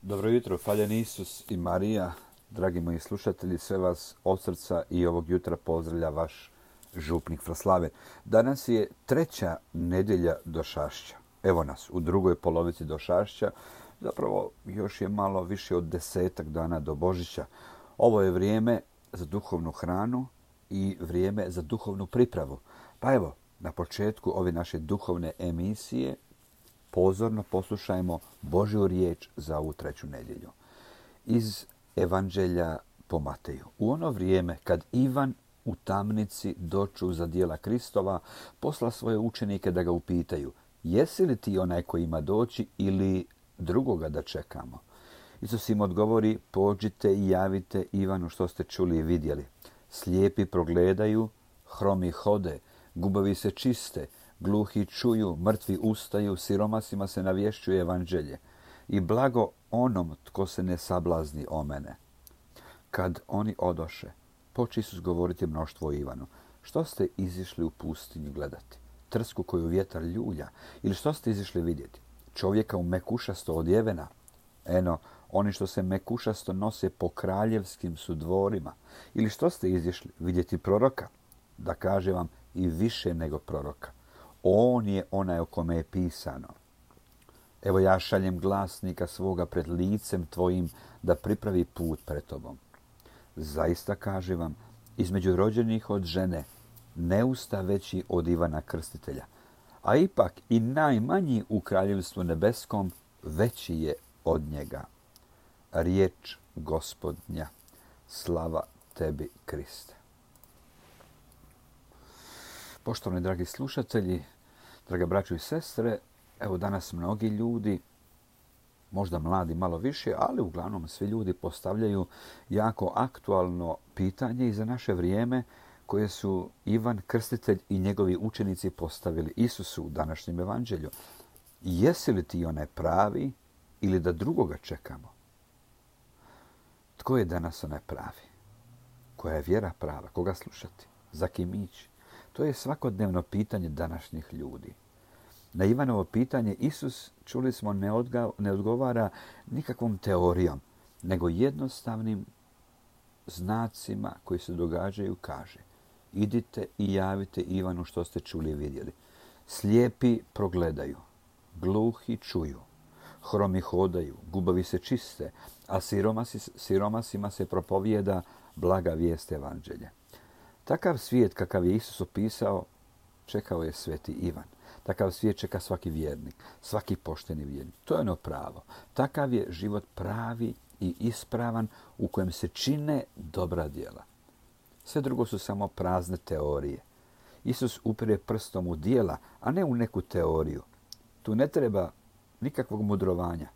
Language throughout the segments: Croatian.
Dobro jutro, hvaljen Isus i Marija. Dragi moji slušatelji, sve vas od srca i ovog jutra pozdravlja vaš župnik Fraslaven. Danas je treća nedjelja Došašća. Evo nas u drugoj polovici Došašća. Zapravo još je malo više od 10 dana do Božića. Ovo je vrijeme za duhovnu hranu i vrijeme za duhovnu pripravu. Pa evo, na početku ove naše duhovne emisije pozorno poslušajmo Božju riječ za ovu treću nedjelju. Iz Evanđelja po Mateju. U ono vrijeme kad Ivan u tamnici doču za djela Kristova, posla svoje učenike da ga upitaju: jesi li ti onaj koji ima doći ili drugoga da čekamo? Isus im odgovori: pođite i javite Ivanu što ste čuli i vidjeli. Slijepi progledaju, hromi hode, gubovi se čiste, gluhi čuju, mrtvi ustaju, siromasima se navješćuje evanđelje. I blago onom tko se ne sablazni o mene. Kad oni odoše, poče Isus govoriti mnoštvo o Ivanu: što ste izišli u pustinju gledati? Trsku koju vjetar ljulja? Ili što ste izišli vidjeti? Čovjeka u mekušasto odjevena? Eno, oni što se mekušasto nose po kraljevskim su dvorima. Ili što ste izišli vidjeti proroka? Da kaže vam, i više nego proroka. On je onaj o kome je pisano: evo ja šaljem glasnika svoga pred licem tvojim da pripravi put pred tobom. Zaista kažem vam, između rođenih od žene ne usta veći od Ivana Krstitelja, a ipak i najmanji u kraljevstvu nebeskom veći je od njega. Riječ Gospodnja. Slava tebi, Kriste. Poštovani dragi slušatelji, drage braćo i sestre, evo danas mnogi ljudi, možda mladi malo više, ali uglavnom svi ljudi postavljaju jako aktualno pitanje i za naše vrijeme koje su Ivan Krstitelj i njegovi učenici postavili Isusu u današnjem evanđelju. Jesi li ti onaj pravi ili da drugoga čekamo? Tko je danas onaj pravi? Koja je vjera prava? Koga slušati? Za kim ići? To je svakodnevno pitanje današnjih ljudi. Na Ivanovo pitanje Isus, čuli smo, ne odgovara nikakvom teorijom, nego jednostavnim znacima koji se događaju kaže: idite i javite Ivanu što ste čuli i vidjeli. Slijepi progledaju, gluhi čuju, hromi hodaju, gubovi se čiste, a siromasima se propovijeda blaga vijest evanđelja. Takav svijet kakav je Isus opisao, čekao je sveti Ivan. Takav svijet čeka svaki vjernik, svaki pošteni vjernik. To je ono pravo. Takav je život pravi i ispravan u kojem se čine dobra djela. Sve drugo su samo prazne teorije. Isus upire prstom u djela, a ne u neku teoriju. Tu ne treba nikakvog mudrovanja.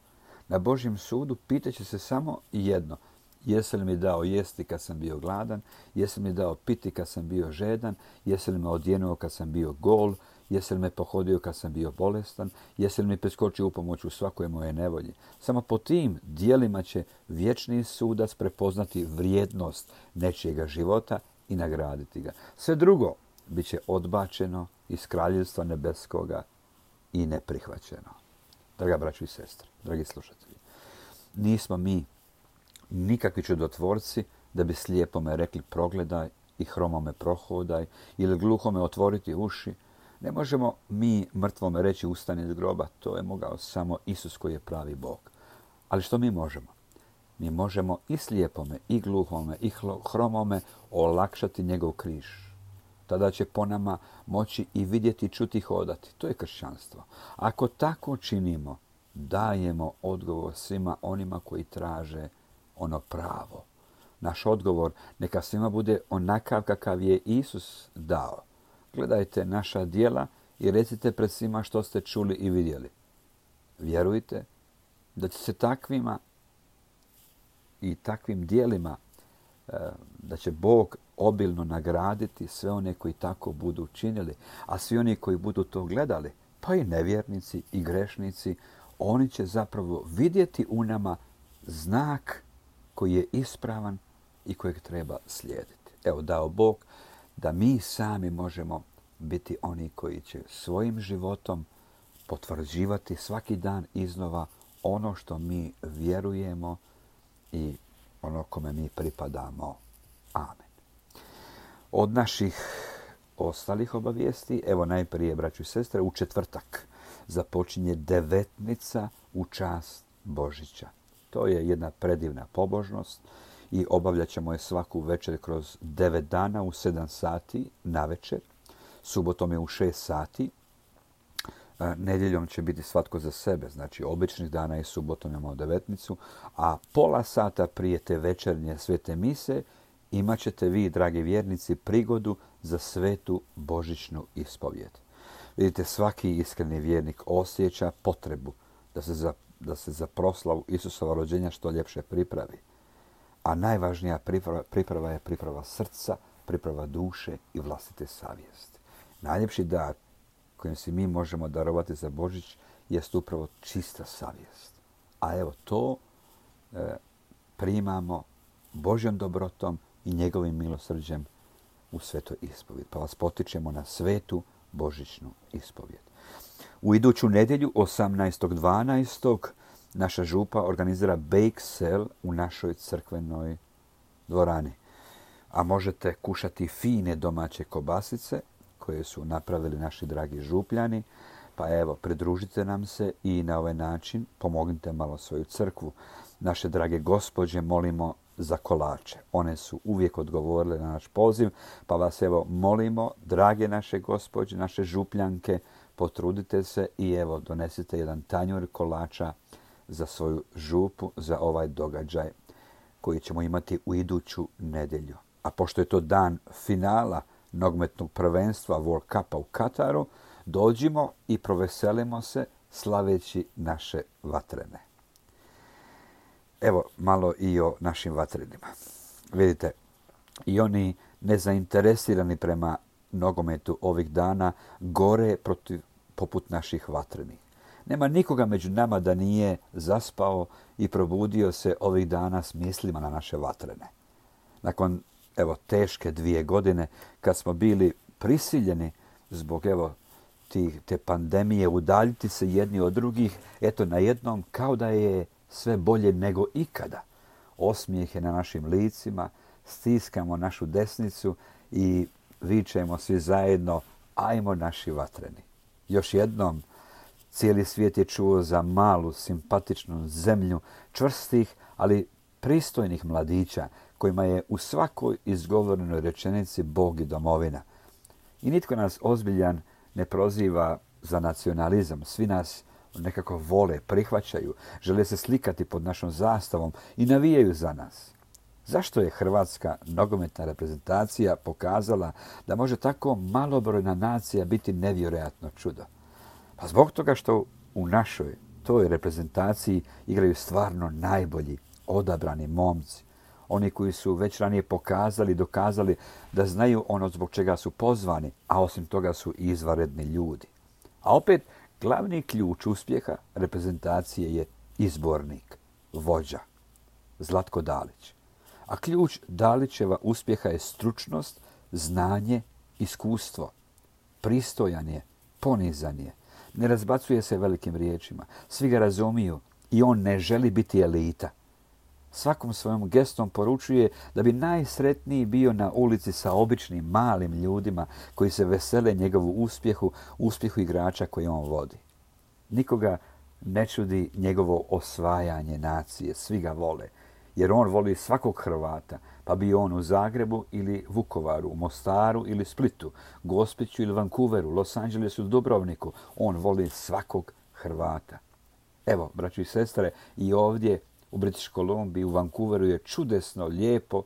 Na Božjem sudu pitaće se samo jedno: jesi li mi dao jesti kad sam bio gladan? Jesi li mi dao piti kad sam bio žedan? Jesi li me odjenuo kad sam bio gol? Jesi li me pohodio kad sam bio bolestan? Jesi li mi preskočio u pomoć u svakoj moje nevolji? Samo po tim djelima će vječni sudac prepoznati vrijednost nečijega života i nagraditi ga. Sve drugo bit će odbačeno iz kraljevstva nebeskoga i neprihvaćeno. Draga braćo i sestre, dragi slušatelji, nismo mi nikakvi čudotvorci da bi slijepome rekli progledaj i hromome prohodaj ili gluhome otvoriti uši. Ne možemo mi mrtvome reći ustani iz groba, to je mogao samo Isus koji je pravi Bog. Ali što mi možemo? Mi možemo i slijepome, i gluhome, i hromome olakšati njegov križ. Tada će po nama moći i vidjeti, čuti, hodati. To je kršćanstvo. Ako tako činimo, dajemo odgovor svima onima koji traže ono pravo. Naš odgovor neka svima bude onakav kakav je Isus dao. Gledajte naša djela i recite pred svima što ste čuli i vidjeli. Vjerujte da će se takvima i takvim djelima, da će Bog obilno nagraditi sve one koji tako budu činili, a svi oni koji budu to gledali, pa i nevjernici i grešnici, oni će zapravo vidjeti u nama znak koji je ispravan i kojeg treba slijediti. Evo, dao Bog da mi sami možemo biti oni koji će svojim životom potvrđivati svaki dan iznova ono što mi vjerujemo i ono kome mi pripadamo. Amen. Od naših ostalih obavijesti, evo najprije, braćo i sestre, u četvrtak započinje devetnica u čast Božića. To je jedna predivna pobožnost i obavljat ćemo je svaku večer kroz 9 dana u 7 sati na večer. Subotom je u 6 sati. Nedjeljom će biti svatko za sebe, znači običnih dana i subotom imamo devetnicu, a pola sata prije te večernje svete mise imat ćete vi, dragi vjernici, prigodu za svetu božićnu ispovjed. Vidite, svaki iskreni vjernik osjeća potrebu da se za proslavu Isusova rođenja što ljepše pripravi. A najvažnija priprava je priprava srca, priprava duše i vlastite savjesti. Najljepši dar kojim si mi možemo darovati za Božić jest upravo čista savjest. A evo to primamo Božjom dobrotom i njegovim milosrđem u svetoj ispovjed. Pa vas potičemo na svetu božićnu ispovjed. U iduću nedjelju, 18.12. naša župa organizira bake sale u našoj crkvenoj dvorani. A možete kušati fine domaće kobasice koje su napravili naši dragi župljani. Pa evo, pridružite nam se i na ovaj način pomognite malo svoju crkvu. Naše drage gospođe molimo za kolače. One su uvijek odgovorile na naš poziv, pa vas evo molimo, drage naše gospođe, naše župljanke, potrudite se i evo donesite jedan tanjur kolača za svoju župu, za ovaj događaj koji ćemo imati u iduću nedjelju. A pošto je to dan finala nogometnog prvenstva World Cupa u Kataru, dođimo i proveselimo se slaveći naše vatrene. Evo malo i o našim vatrenima. Vidite, i oni nezainteresirani prema nogometu ovih dana gore poput naših vatrenih. Nema nikoga među nama da nije zaspao i probudio se ovih dana s mislima na naše vatrene. Nakon teške 2 godine kad smo bili prisiljeni zbog te pandemije udaljiti se jedni od drugih, najednom kao da je sve bolje nego ikada. Osmijeh je na našim licima, stiskamo našu desnicu i vičemo svi zajedno, ajmo naši vatreni. Još jednom, cijeli svijet je čuo za malu, simpatičnu zemlju čvrstih, ali pristojnih mladića kojima je u svakoj izgovorenoj rečenici Bog i domovina. I nitko nas ozbiljan ne proziva za nacionalizam. Svi nas nekako vole, prihvaćaju, žele se slikati pod našom zastavom i navijaju za nas. Zašto je hrvatska nogometna reprezentacija pokazala da može tako malobrojna nacija biti nevjerojatno čudo? Pa zbog toga što u našoj toj reprezentaciji igraju stvarno najbolji, odabrani momci. Oni koji su već ranije pokazali i dokazali da znaju ono zbog čega su pozvani, a osim toga su i izvanredni ljudi. A opet, glavni ključ uspjeha reprezentacije je izbornik, vođa, Zlatko Dalić. A ključ Dalićeva uspjeha je stručnost, znanje, iskustvo. Pristojan je, ponizan je, ne razbacuje se velikim riječima, svi ga razumiju i on ne želi biti elita. Svakom svojom gestom poručuje da bi najsretniji bio na ulici sa običnim malim ljudima koji se vesele njegovu uspjehu igrača koji on vodi. Nikoga ne čudi njegovo osvajanje nacije, svi ga vole, jer on voli svakog Hrvata, pa bio on u Zagrebu ili Vukovaru, u Mostaru ili Splitu, Gospiću ili Vancouveru, Los Angelesu ili Dubrovniku, on voli svakog Hrvata. Evo, braćo i sestre, i ovdje u British Columbiji, u Vancouveru je čudesno lijepo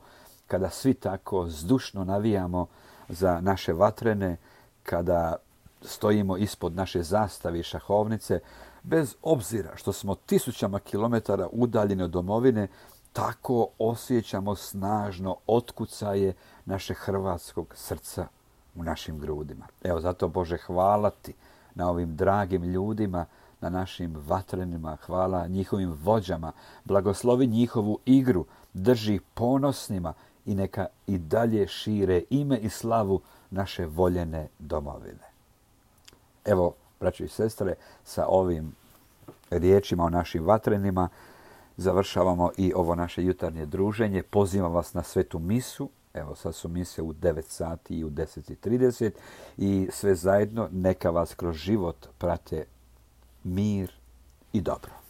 kada svi tako zdušno navijamo za naše vatrene, kada stojimo ispod naše zastave i šahovnice, bez obzira što smo tisućama kilometara udaljeni od domovine, tako osjećamo snažno otkucaje naše hrvatskog srca u našim grudima. Evo, zato Bože, hvala ti na ovim dragim ljudima, na našim vatrenima, hvala njihovim vođama, blagoslovi njihovu igru, drži ponosnima i neka i dalje šire ime i slavu naše voljene domovine. Evo, braćo i sestre, sa ovim riječima o našim vatrenima završavamo i ovo naše jutarnje druženje. Pozivam vas na svetu misu. Evo, sad su mise u 9 sati i u 10:30 i sve zajedno neka vas kroz život prate mir i dobro.